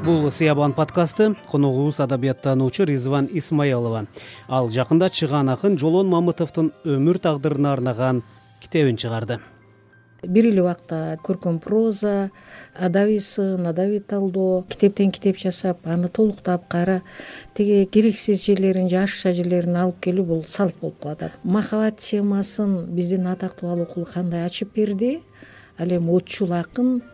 Бул Сиябан подкасты. Коногубуз адабияттануучу Ризван Исмаилова. Ал жакында чыган акын Жолон Мамытовдун өмүр тагдырына арнаган китебин чыгарды. Бир эле убакта көркөм проза, адабий сын, адабий талдоо, китептен китеп жасап, аны толуктап, кайра тиги керексиз жерлерин, жашша жерлерин алып келүү бул салт болуп калат. Махабат темасын биздин атактуу Алыкул кандай ачып берди? Ал эми отчул акын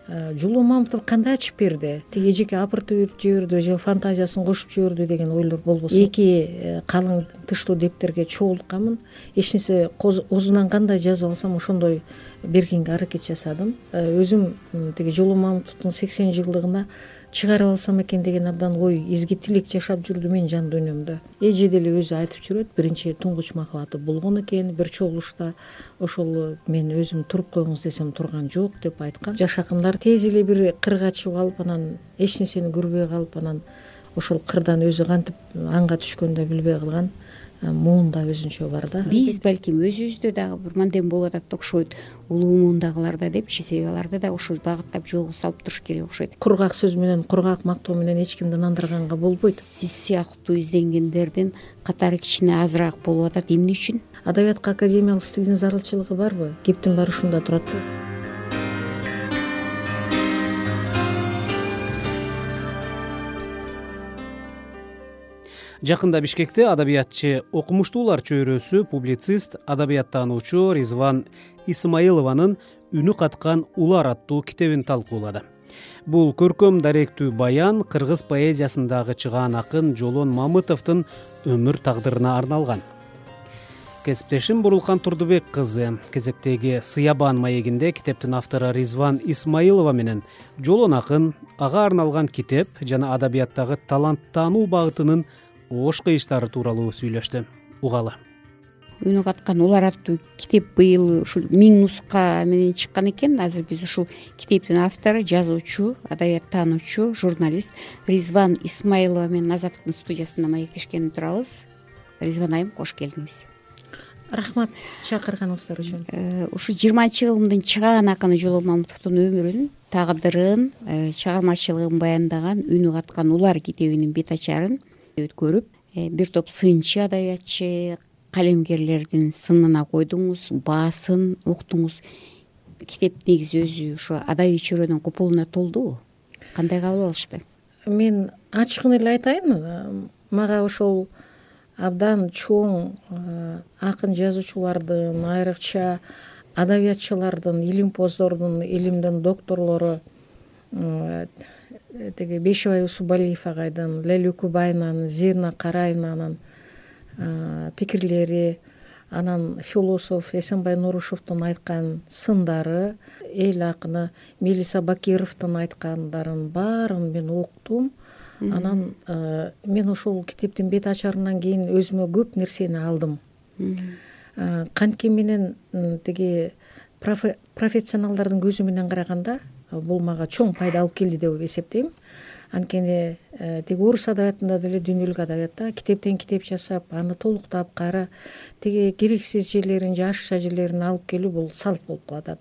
Жолон Мамытов кандай ачып берди? Тиги эжеке апыртып жиберди же фантазиясын кошуп жиберди деген ойлор болбосо. Эки калың тыштуу дептерге чогултканмын. Эч нерсе оозунан кандай жазып алсам ошондой бергенге аракет жасадым. Өзүм тиги Жолон Мамытовдун 80 жылдыгына чыгарып алсам экен деген абдан ой, изги тилек жашап жүрдү менин жан дүйнөмдө. Эже деле өзү айтып жүрөт, биринчи туңгуч махабаты болгон экен, бир чогулушта ошол мен өзүм туруп коюңуз десем турган жок деп айткан. Жаш акындар тез эле бир кырга чыгып алып, анан эч нерсени көрбөй калып, анан ошол кырдан өзү кантип анга түшкөндө билбей калган муунда өзүнчө бар да. Биз балким өзүбүздө дагы бир мандем болуп атат окшойт, улуу муундагыларда депчи, себеби аларды да ошол багыттап жолго салып туруш керек окшойт. Кургак сөз менен, кургак мактоо менен эч кимди нандырганга болбойт. Сиз сыяктуу изденгендердин катары кичине азыраак болуп атат. Эмне үчүн? Адабиятка академиялык стилдин зарылчылыгы барбы? Кептин баары ушунда турат да. Жакында Бишкекте адабиятчы окумуштуулар чөйрөсү публицист, адабияттануучу Ризван Исмаилованын «Үнү каткан улар» аттуу китебин талкуулады. Бул көркөм даректүү баян кыргыз поэзиясындагы чыгаан акын Жолон Мамытовдун өмүр тагдырына арналган. Кесиптешим Бурулкан Турдубек кызы кезектеги Сиябан маегинде китептин автору Ризван Исмаилова менен Жолон акын, ага арналган китеп жана адабияттагы таланттануу багытынын ош кыйыштары тууралуу сүйлөштү. Угалы. Үнү каткан улар аттуу китеп быйыл ушул 1000 нуска менен чыккан экен. Азыр биз ушул китептин автору, жазуучу, адабияттануучу, журналист Ризван Исмаилова менен Азаттыктын студиясында маектешкени турабыз. Ризван айым, кош келдиңиз. Рахмат чакырганыңыздар үчүн. Ушу 20-жылдын чыгаан акыны Жолон Мамытовдун өмүрүн, тагдырын, чыгармачылыгын баяндаган «Үнү каткан улар» китебинин бет ачарын өткөрүп, бир топ сынчы адабиятчы, калемгерлердин сынына койдуңуз, баасын уктуңуз. Китеп негизи өзү ушу адабий чөйрөнүн купулуна толдубу? Кандай кабыл алышты? Мен ачыгын эле айтайын, мага ошол абдан чоң акын жазуучулардын, айрыкча адабиятчылардын, илимпоздордун, илимдин докторлору тиги Бешибай Усубалиев агайдын, Лейла Үкүбаевнанын, Зина Караевнанын пикирлери, анан философ Эсенбай Нурушевдун айткан сындары, эл акыны Мелиса Бакировдун айткандарын баарын мен уктум. Анан мен ошол китептин бет ачарынан кийин өзүмө көп нерсени алдым. Кантке менен тиги профессионалдардын көзү менен караганда бул мага чоң пайда алып келди деп эсептейм. Анткени тиги орус адабиятында деле, дүйнөлүк адабиятта китептен китеп жасап, аны толуктап, кайра тиги керексиз жерлерин, жашша жерлерин алып келүү бул салт болуп калат.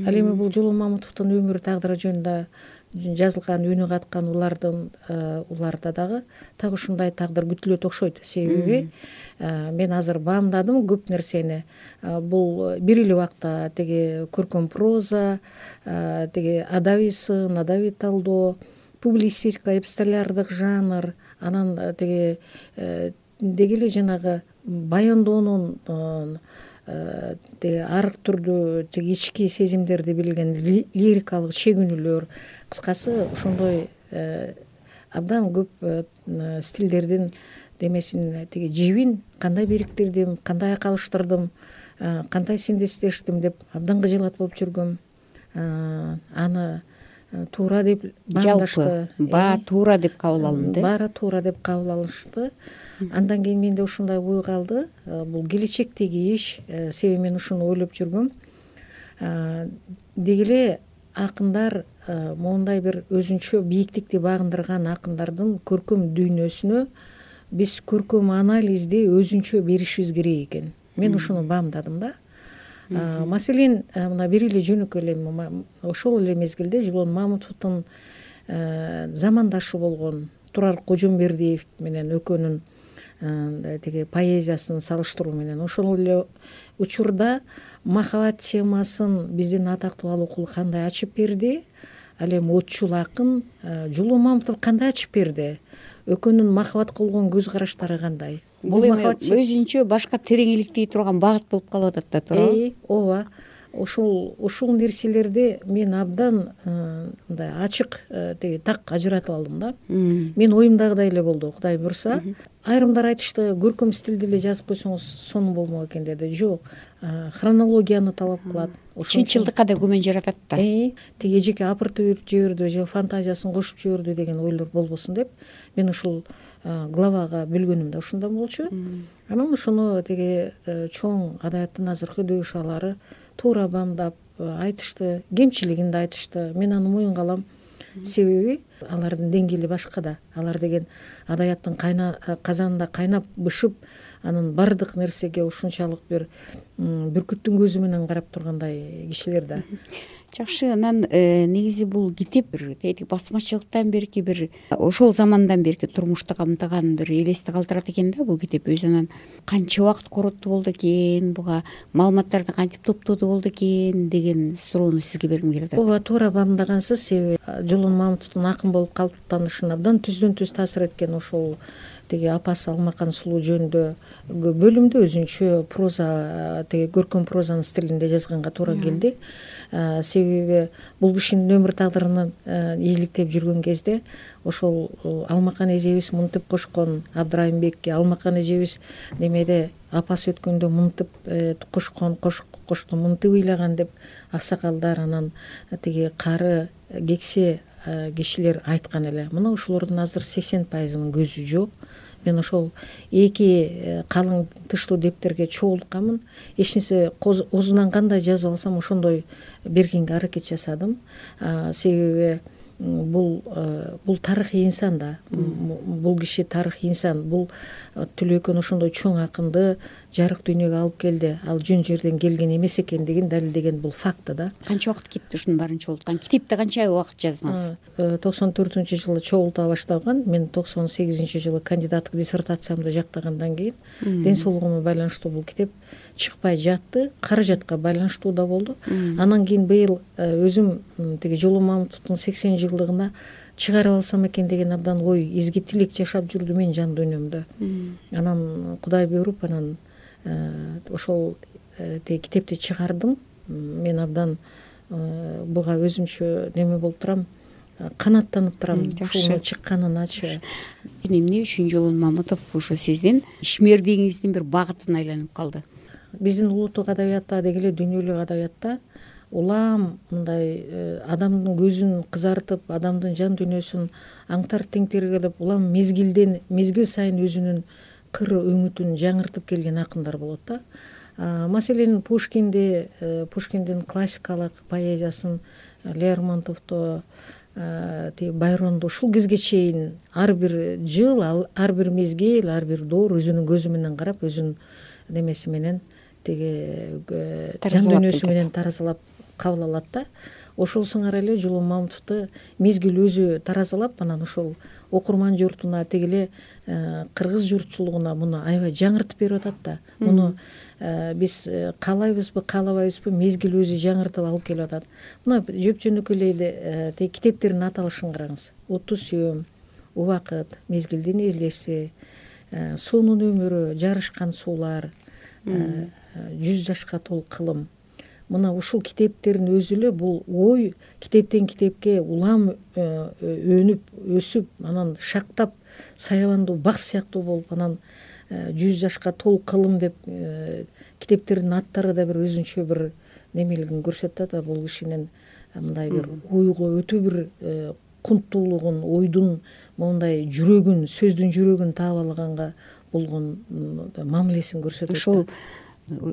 Ал эми бул Жолон Мамытовдун өмүрү тагдыры жөнүндө жазылган «Үнү каткан уларда дагы так ушундай тагдыр күтүлөт окшойт. Себеби мен азыр баамдадым көп нерсени. Бул бир эле убакта тиги көркөм проза, тиги адабий сын, адабий талдоо, публицистика, эпистолярдык жанр, анан тиги деги эле жанагы баяндоонун арк түрдүү тиги ички сезимдерди билген лирикалык чегүнүүлөр, кыскасы ошондой абдан көп стилдердин демесин тиги жибин кандай бириктирдим, кандай айкалыштырдым, кандай синтездештим деп абдан кыжылат болуп жүргөм. Аны туура деп баамдашты. Баа туура деп кабыл алынды. Баары туура деп кабыл алышты. Андан кийин менде ушундай ой калды. Бул келечектеги иш, себеби мен ушуну ойлоп жүргөм. Деги эле акындар моундай бир өзүнчө бийиктикти багындырган акындардын көркөм дүйнөсүнө биз көркөм анализди өзүнчө беришибиз керек экен. Мен ушуну баамдадым да. Маселен, мына бир эле жөнөкөй эле ошол эле мезгилде Жолон Мамытовдун замандашы болгон Турар Кожомбердиев менен экөөнүн тиги поэзиясын салыштыруу менен ошол эле учурда махабат темасын биздин атактуу Алыкул кандай ачып берди, ал эми отчул акын Жулуу Мамытов кандай ачып берди, экөөнүн махабатка болгон көз караштары кандай. Бул эми өзүнчө башка тереңиликтей турган багыт болуп калып атат да, туурабы? Ооба. Ушул нерселерди мен абдан мындай ачык тиги так ажыратып алдым да. Мен оюмдагыдай эле болду, Кудай буйрса. Айрымдар айтышты, көркөм стилде эле жазып койсоңуз сонун болмок экен деди. Жок, хронологияны талап кылат. Чынчылдыкка да күмөн жаратат да. Тиги эжеке апыртып жиберди же фантазиясын кошуп жиберди деген ойлор болбосун деп мен ушул главага бөлгөнүм да ушунда болчу. Анан ошону тиги чоң адабияттын азыркы дөөшалары туура бамдап айтышты, кемчилигин да айтышты. Мен аны моюнга алам. Себеби алардын деңгээли башка да. Алар деген адабияттын казанында кайнап бышып, анын бардык нерсеге ушунчалык бир бүркүттүн көзү менен карап тургандай кишилер да. Жакшы, анан негизи бул китеп бир тетиги басмачылыктан берки бир ошол замандан берки турмушту камтыган бир элести калтырат экен да бул китеп. Өзү анан канча убакыт коротуу болду экен, буга маалыматтарды кантип топтоду болду экен деген суроону сизге бергим келип атат. Ооба, туура баамдагансыз. Себеби Жулуу Мамытовдун акын болуп калыптанышына абдан түздөн түз таасир эткен ошол тиги апасы Алмакан сулуу жөнүндө бөлүмдө өзүнчө проза, тиги көркөм прозанын стилинде жазганга туура келди. Себеби бул кишинин өмүр тагдырын изиликтеп жүргөн кезде ошол Алмакан эжебиз мынтип кошкон, Абдрайымбекке Алмакан эжебиз немеде апасы өткөндө мынтип кошкон, кошту мынтип ыйлаган деп аксакалдар, анан тиги кары кексе кишилер айткан эле. Мына ошолордун азыр 80%-ынын көзү жок. Мен ошол эки калың тыштуу дептерге чогултканмын. Эч нерсе оозунан кандай жазып алсам ошондой бергенге аракет жасадым. Себеби бул тарыхый инсан да. Бул киши тарыхый инсан. Бул Түлөкөн ошондой чоң акынды жарык дүйнөгө алып келди. Ал жөн жерден келген эмес экендигин далилдеген бул факт да. Канча убакыт кетти ушунун баарын чогулткан? Китепти канча убакыт жаздыңыз? 94-жылы чогулта башталган. Мен 98-жылы кандидаттык диссертациямды жактагандан кийин ден соолугума байланыштуу бул китеп чыкпай жатты. Каражатка байланыштуу да болду. Анан кийин быйыл өзүм тиги Жулуу Мамытовдун 80-жылдыгына чыгарып алсам экен деген абдан ой, изги тилек жашап жүрдү мен жан дүйнөмдө. Анан Кудай буйруп, анан ошол тиги китепти чыгардым. Мен абдан буга өзүмчө неме болуп турам, канаттанып турам ушунун чыкканыначы. Эмне үчүн Жулуу Мамытов ошо сиздин ишмердигиңиздин бир багытына айланып калды? Биздин улуттук адабиятта деги эле дүйнөлүк адабиятта улам мындай адамдын көзүн кызартып, адамдын жан дүйнөсүн аңтар теңтергилеп, улам мезгил сайын өзүнүн кыр өңүтүн жаңыртып келген акындар болот да. Маселен Пушкиндин классикалык поэзиясын, Лермонтовду, Байронду ушул кезге чейин ар бир жыл, ар бир мезгил, ар бир доор өзүнүн көзү менен карап, өзүнүн немеси менен тиги жан дүйнөсү менен таразалап кабыл алат да. Ошол сыңар эле Жулуу Мамытовду мезгил өзү таразалап, анан ошол окурман журтуна, тиги эле кыргыз журтчулугуна муну аябай жаңыртып берип атат да. Муну биз каалайбызбы, каалабайбызбы, мезгил өзү жаңыртып алып келип атат. Мына жөп-жөнөкөй эле тиги китептердин аталышын караңыз. Отту сүйөм, Убакыт, Мезгилдин излеши, Суунун өмүрү, Жарышкан суулар, 100 жашка толук кылым. Мына ушул китептердин өзү эле бул ой китептен китепке улам өнүп, өсүп, анан шактап, саябандуу бак сыяктуу болуп, анан 100 жашка толук кылым деп китептердин аттары да бир өзүнчө бир немелигин көрсөтөт да. Бул кишинин мындай бир ойго өтө бир кунттуулугун, ойдун мондай жүрөгүн, сөздүн жүрөгүн таап алганга болгон мамилесин көрсөтөт. Ошол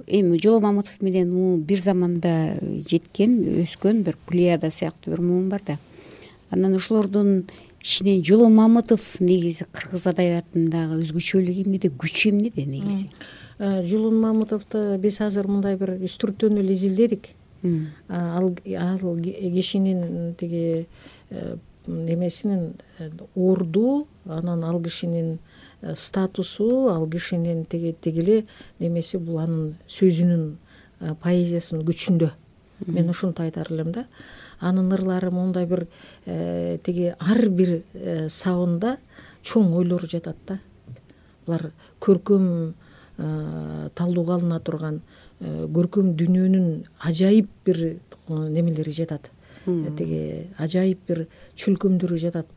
эми Жулуу Мамытов менен бир заманда жеткен, өскөн бир плеяда сыяктуу бир муун бар да. Анан ошолордун ичинен Жулуу Мамытов негизи кыргыз адабиятындагы өзгөчөлүгү эмнеде, күчү эмнеде негизи? Жулуу Мамытовду биз азыр мындай бир үстүрттөн эле изилдедик. Ал кишинин тиги немесинин орду, анан ал кишинин статусу, ал кишинин тиги эле немеси бул анын сөзүнүн поэзиясынын күчүндө. Мен ушунтип айтар элем да. Анын ырлары мондай бир тиги ар бир сабында чоң ойлор жатат да. Булар көркөм талдууга алына турган көркөм дүйнөнүн ажайып бир немелери жатат. Тиги ажайып бир чөлкөмдөрү жатат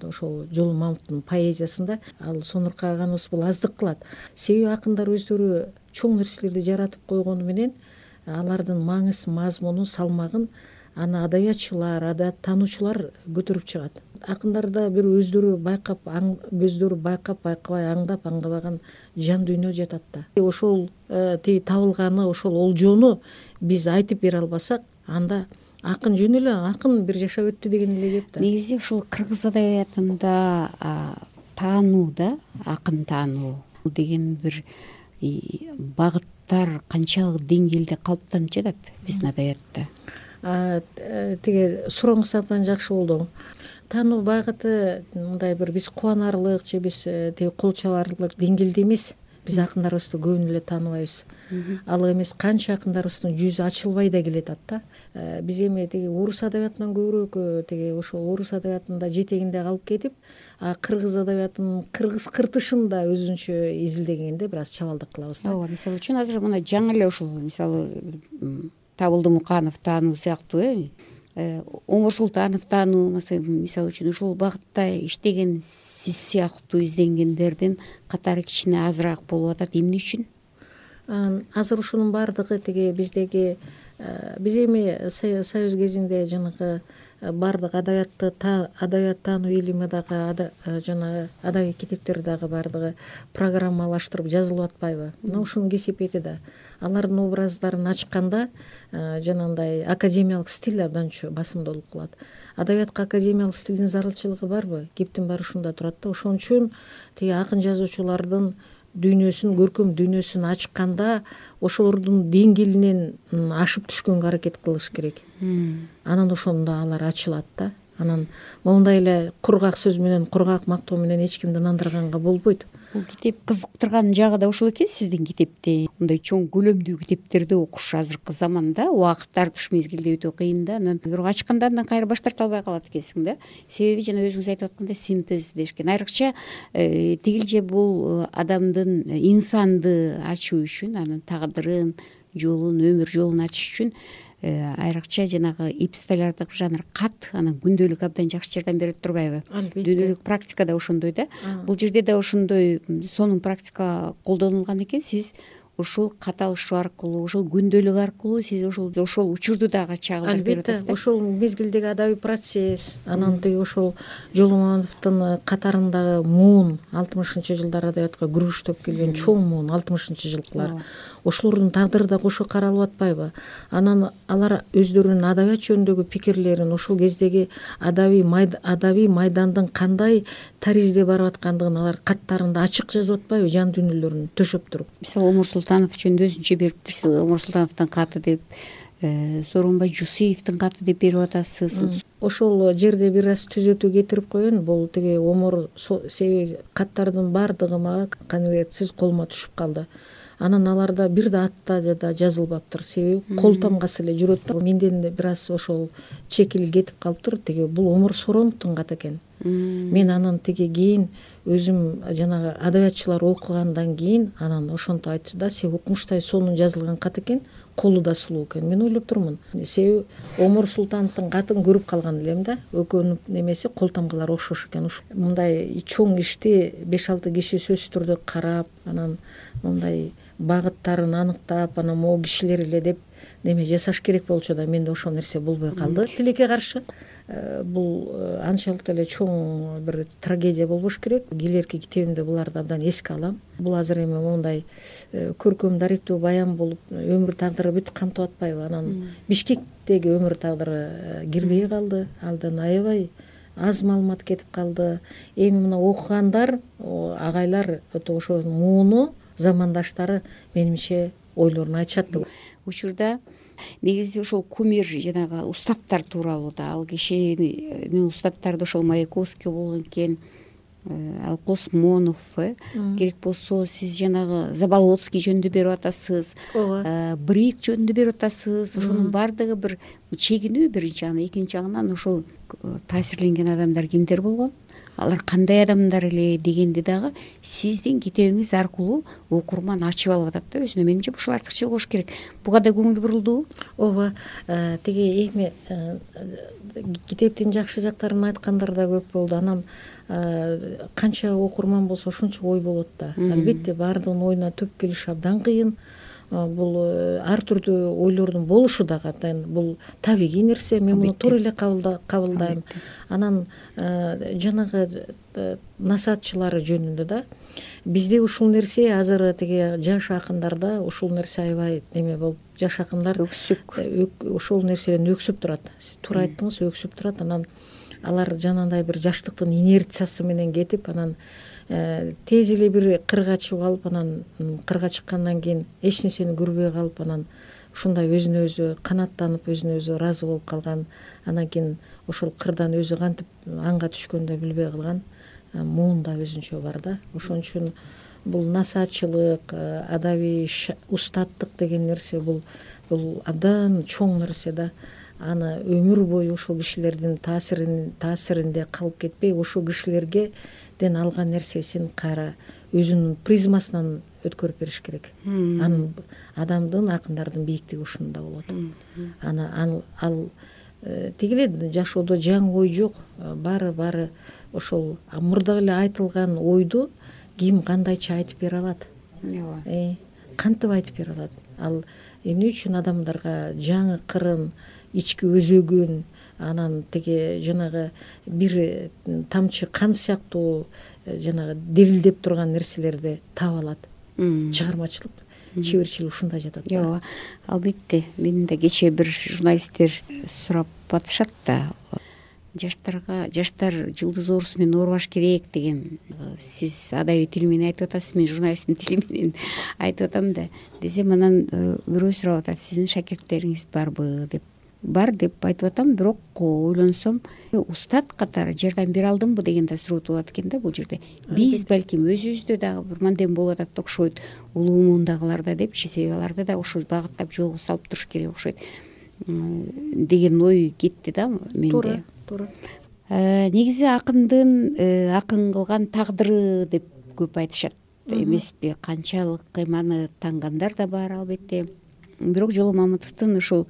ошол Жолу Мамыттын поэзиясында. Ал сонуркаганыбыз бул аздык кылат. Себеби акындар өздөрү чоң нерселерди жаратып койгону менен алардын маңыз, мазмуну, салмагын аны адабиятчылар, адабияттануучулар көтөрүп чыгат. Акындарда бир өздөрү байкабай аңдап аңдабаган жан дүйнө жатат да. Ошол тиги табылганы, ошол олжону биз айтып бере албасак, анда акын жөн эле акын бир жашап өттү деген эле кеп да. Негизи ушул кыргыз адабиятында таануу да, акын таануу деген бир багыттар канчалык деңгээлде калыптанып жатат биздин адабиятта? Тиги сурооңуз абдан жакшы болду. Таануу багыты мындай бир биз кубанарлык же биз тиги кол чабарлык деңгээлде эмес. Биз акындарыбызды көбүн эле тааныбайбыз. Ал эмес канча акындарыбыздын жүзү ачылбай да келатат да. Биз эми тиги орус адабиятынан көбүрөөк тиги ошол орус адабиятында жетегинде калып кетип, кыргыз адабиятынын кыргыз кыртышын да өзүнчө изилдегенде бир аз чабалдык кылабыз да. Ооба, мисалы үчүн азыр мына жаңы эле ушул мисалы Табылды Муканов таануу сыяктуу Омур Султанов таануу мисалы үчүн ушул багытта иштеген сиз сыяктуу изденгендердин катары кичине азыраак болуп атат. Эмне үчүн? Азыр ушунун баардыгы тиги биздеги биз эми союз кезинде жанагы баардык адабият таануу илими дагы жана адабий китептер дагы баардыгы программалаштырып жазылып атпайбы? Мына ушунун кесепети да. Алардын образдарын ачканда жанагындай академиялык стиль абдан басымдуулук кылат. Адабиятка академиялык стилдин зарылчылыгы барбы? Кептин баары ушунда турат да. Ошон үчүн тиги акын жазуучулардын дүйнөсүн, көркөм дүйнөсүн ачканда ошолордун деңгээлинен ашып түшкөнгө аракет кылыш керек. Анан ошондо алар ачылат да. Анан мондай эле кургак сөз менен, кургак мактоо менен эч кимди нандырганга болбойт. Бул китеп кызыктырган жагы да ошол экен сиздин китепти. Мындай чоң көлөмдүү китептерди окуш азыркы заманда убакыт тартыш мезгилде өтө кыйын да. Анан бирок ачканда андан кайра баш тарта албай калат экенсиң да. Себеби жана өзүңүз айтып аткандай синтез дешкен. Айрыкча тигилже бул адамдын инсанды ачуу үчүн, анын тагдырын, жолун, өмүр жолун ачыш үчүн айрыкча жанагы эпистолярдык жанр кат, анан күндөлүк абдан жакшы жардам берет турбайбы? Дүйнөлүк практика да ошондой да. Бул жерде да ошондой сонун практика колдонулган экен. Сиз ушул кат алышуу аркылуу, ошол күндөлүк аркылуу сиз ошол учурду дагы чагылдырып берип атасыз да. Албетте, ошол мезгилдеги адабий процесс, анан тиги ошол Жолу Мамытовдун катарындагы муун 60-жылдар адабиятка күрөштөп келген чоң муун 60-жылкылар. Ошолордун тагдыры да кошо каралып атпайбы? Анан алар өздөрүнүн адабият жөнүндөгү пикирлерин, ошол кездеги адабий майдандын кандай таризде барып аткандыгын алар каттарында ачык жазып атпайбы, жан дүйнөлөрүн төшөп туруп? Мисалы Омур Султанов жөнүндө өзүнчө бериптирсиз. Омур Султановдун каты деп, Сооронбай Жусуевдин каты деп берип атасыз. Ошол жерде бир аз түзөтүү кетирип коеюн. Бул тиги Омур себеби каттардын баардыгы мага конвертсиз колума түшүп калды. Анан аларда бир да атта да жазылбаптыр. Себеби кол тамгасы эле жүрөт да. Менден бир аз ошол чекил кетип калыптыр. Тиги бул Омур Сооронбовдун каты экен. Мен анан тиги кийин өзүм жанагы адабиятчылар окугандан кийин анан ошентип айтты да, сен укмуштай сонун жазылган кат экен, колу да сулуу экен. Мен ойлоп турмун. Себеби Омур Султановдун катын көрүп калган элем да. Экөөнүн немеси кол тамгалары окшош экен. Мындай чоң ишти 5-6 киши сөзсүз түрдө карап, анан мындай багыттарын аныктап, анан могу кишилер эле деп неме жасаш керек болчу да, менде ошол нерсе болбой калды. Тилекке каршы бул анчалык эле чоң бир трагедия болбош керек. Келерки китебимде буларды абдан эске алам. Бул азыр эми мондай көркөм даректүү баян болуп өмүр тагдыры бүт камтып атпайбы? Анан Бишкектеги өмүр тагдыры кирбей калды. Алдан аябай аз маалымат кетип калды. Эми мына окугандар, агайлар өтө ошонун мууну замандаштары менимче ойлорун айтышат. Учурда негизи ошол кумир жанагы устаттар тууралуу да, ал кишинин устаттарды ошол Маяковский болгон экен, ал Космонов, керек болсо сиз жанагы Заболоцкий жөнүндө берип атасыз, Брик жөнүндө берип атасыз. Ошонун баардыгы бир чегинүү биринчи, анан экинчи жагынан ошол таасирленген адамдар кимдер болгон, алар кандай адамдар эле дегенди дагы сиздин китебиңиз аркылуу окурман ачып алып атат да өзүнө. Менимче ушул артыкчылык болуш керек. Буга да көңүл бурулдубу? Ооба, тиги эми китептин жакшы жактарын айткандар да көп болду. Анан канча окурман болсо ошончо ой болот да. Албетте баардыгынын оюна төп келиш абдан кыйын. Бул ар түрдүү ойлордун болушу дагы абдан бул табигый нерсе. Мен муну туура эле кабылдайм. Анан жанагы насаатчылары жөнүндө да бизде ушул нерсе азыр тиги жаш акындарда ушул нерсе аябай неме болуп, жаш акындар ошол нерседен өксүп турат. Сиз туура айттыңыз, өксүп турат. Анан алар жанагындай бир жаштыктын инерциясы менен кетип, анан тез эле бир кырга чыгып алып, анан кырга чыккандан кийин эч нерсени көрбөй калып, анан ушундай өзүнө өзү канааттанып, өзүнө өзү ыраазы болуп калган, анан кийин ошол кырдан өзү кантип анга түшкөнүн да билбей калган муун да өзүнчө бар да. Ошон үчүн бул насаатчылык, адабий устаттык деген нерсе бул абдан чоң нерсе да. Аны өмүр бою ошол кишилердин таасиринде калып кетпей, ошол кишилерден алган нерсесин кайра өзүнүн призмасынан өткөрүп бериш керек. Анын адамдын, акындардын бийиктиги ушунда болот. Ал тиги эле жашоодо жаңы ой жок. Баары ошол мурдагы эле айтылган ойду ким кандайча айтып бере алат. Кантип айтып бере алат? Ал эмне үчүн адамдарга жаңы кырын, ички өзөгүн, анан тиги жанагы бир тамчы кан сыяктуу жанагы дирилдеп турган нерселерди таба алат. Чыгармачылык, чеберчилик ушунда жатат. Ооба, албетте. Мени да кечээ бир журналисттер сурап атышат да, жаштар жылдыз оорусу менен оорубаш керек деген. Сиз адабий тил менен айтып атасыз, мен журналисттин тили менен айтып атам да. Десем анан бирөө сурап атат, сиздин шакирттериңиз барбы деп. Бар деп айтып атам, бирок ойлонсом устат катары жардам бере алдымбы деген да суроо болот экен да бул жерде. Биз балким өзүбүздө дагы бир мандем болуп атат окшойт, улуу муундагыларда депчи, себеби аларды да ошол багыттап жолго салып туруш керек окшойт деген ой кетти да менде. Туура. Негизи акындын акын кылган тагдыры деп көп айтышат эмеспи? Канчалык кыйманы таңгандар да бар албетте. Бирок Жоло Мамытовдун ушул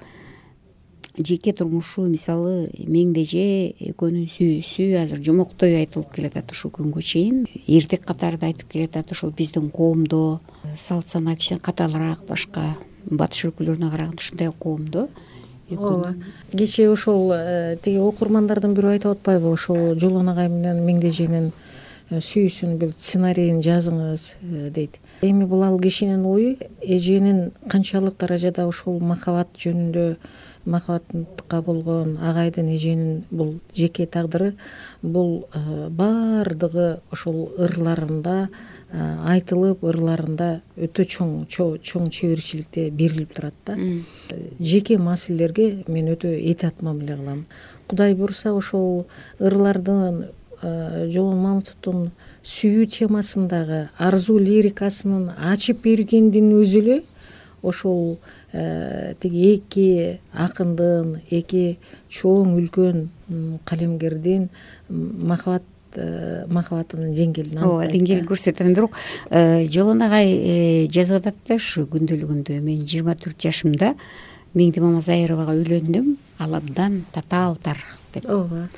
жеке турмушу, мисалы Меңдеже экөөнүн сүйүүсү азыр жомоктой айтылып келатат ушул күнгө чейин. Эртек катарда айтып келатат ошол биздин коомдо салт сана кичине катаалыраак, башка батыш өлкөлөрүнө караганда ушундай коомдо. Ооба. Кечээ ошол тиги окурмандардын бирөө айтып атпайбы, ошол Жолон агай менен Меңдеженин сүйүүсүнүн бир сценарийин жазыңыз дейт. Эми бул ал кишинин ою, эженин канчалык даражада ошол махабат жөнүндө, махабатка болгон агайдын, эженин бул жеке тагдыры, бул баардыгы ошол ырларында айтылып, ырларында өтө чоң чеберчиликте берилип турат да. Жеке маселелерге мен өтө этият мамиле кылам. Кудай буйруса ошол ырлардын Жолон Мамытовдун сүйүү темасындагы арзуу лирикасынын ачып бергендин өзү эле ошол тиги эки акындын, эки чоң үлкөн калемгердин махабатынын деңгээлин ооба, деңгээлин көрсөтөт. Бирок Жолон агай жазып атат да ушу күндөлүгүндө, мен 24 жашымда Меңди Мамазайровага үйлөндүм, ал абдан татаал тарых деп. Ооба.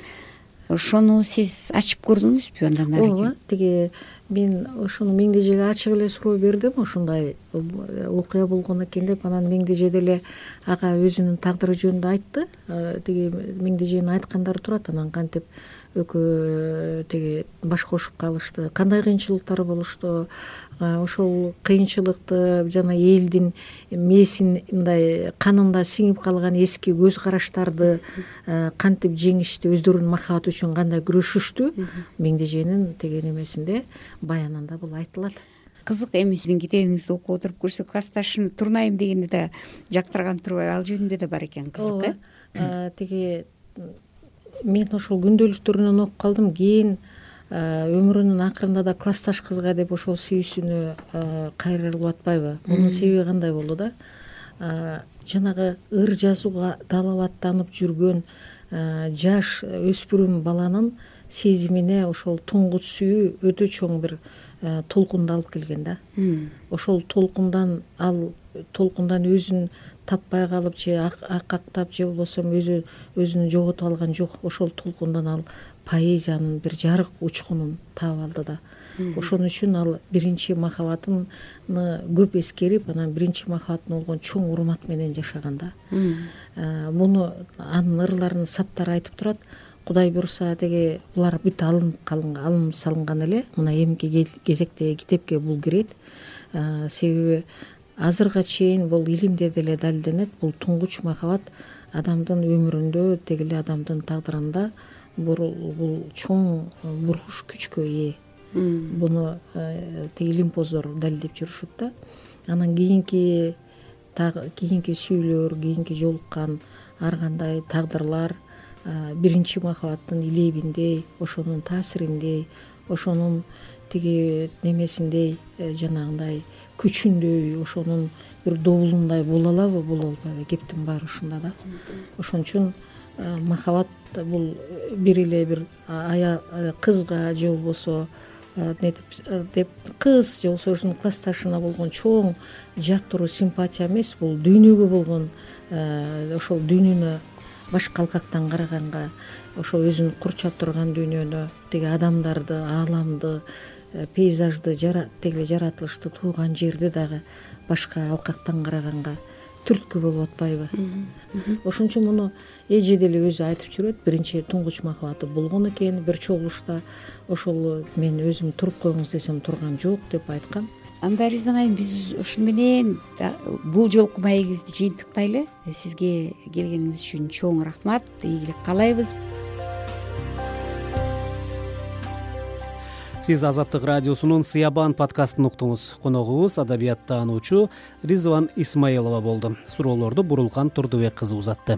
Ошону сиз ачып көрдүңүзбү андан ары? Ооба, тиги мен ошону Меңдежеге ачык эле суроо бердим, ушундай окуя болгон экен деп. Анан Меңдеже деле ага өзүнүн тагдыры жөнүндө айтты. Тиги Меңдеженин айткандары турат, анан кантип экөө тиги баш кошуп калышты, кандай кыйынчылыктар болушту, ошол кыйынчылыкты жана элдин мээсин мындай канында сиңип калган эски көз караштарды кантип жеңишти, өздөрүнүн махабаты үчүн кандай күрөшүштү, Меңдеженин тиги немесинде, баянында бул айтылат. кызык эми сиздин китебиңизди окуп отуруп көрсө классташым турнайым дегенди да жактырган турбайбы, ал жөнүндө да бар экен кызык. Тиги мен ошол күндөлүктөрүнөн окуп калдым, кийин өмүрүнүн акырында да классташ кызга деп ошол сүйүүсүнө кайрылып атпайбы. Мунун себеби кандай болду да, жанагы ыр жазууга далалаттанып жүргөн жаш өспүрүм баланын сезимине ошол туңгуч сүйүү өтө чоң бир толкунду алып келген да. Ошол толкундан өзүн таппай калып же акактап же болбосо өзүн жоготуп алган жок. Ошол толкундан ал поэзиянын бир жарык учкунун таап алды да. Ошон үчүн ал биринчи махабатын көп эскерип, анан биринчи махабатына болгон чоң урмат менен жашаган да. Муну анын ырларынын саптары айтып турат. Кудай буюрса теги булар бүт алынып салынган эле. Мына эмки кезектеги китепке бул кирет. Себеби азырга чейин бул илимде деле далилденет. Бул туңгуч махабат адамдын өмүрүндө, теги эле адамдын тагдырында бул чоң бурулуш күчкө ээ. Буну теги илимпоздор далилдеп жүрүшөт да. Анан кийинки сүйүүлөр, кийинки жолуккан ар кандай тагдырлар биринчи махабаттын илебиндей, ошонун таасириндей, ошонун тиги немесиндей, жанагындай күчүндөй, ошонун бир добулундай боло алабы, боло албайбы? Кептин баары ушунда да. Ошон үчүн махабат бул бир эле бир кызга же болбосо деп кыз же болбосо өзүнүн классташына болгон чоң жактыруу симпатия эмес, бул дүйнөгө болгон ошол дүйнөнү башка алкактан караганга, ошол өзүн курчап турган дүйнөнү, тиги адамдарды, ааламды, пейзажды, теги эле жаратылышты, тууган жерди дагы башка алкактан караганга түрткү болуп атпайбы? Ошон үчүн муну эже деле өзү айтып жүрөт. Биринчи туңгуч махабаты болгон экен, бир чогулушта ошол мен өзүм туруп коюңуз десем турган жок деп айткан. Анда Ризан айым, биз ушун менен бул жолку маегибизди жыйынтыктайлы. Сизге келгениңиз үчүн чоң рахмат, ийгилик каалайбыз. Сиз Азаттык радиосунун Сыябан подкастын уктуңуз. Коногубуз адабияттануучу Ризван Исмаилова болду. Суроолорду Бурулкан Турдубек кызы узатты.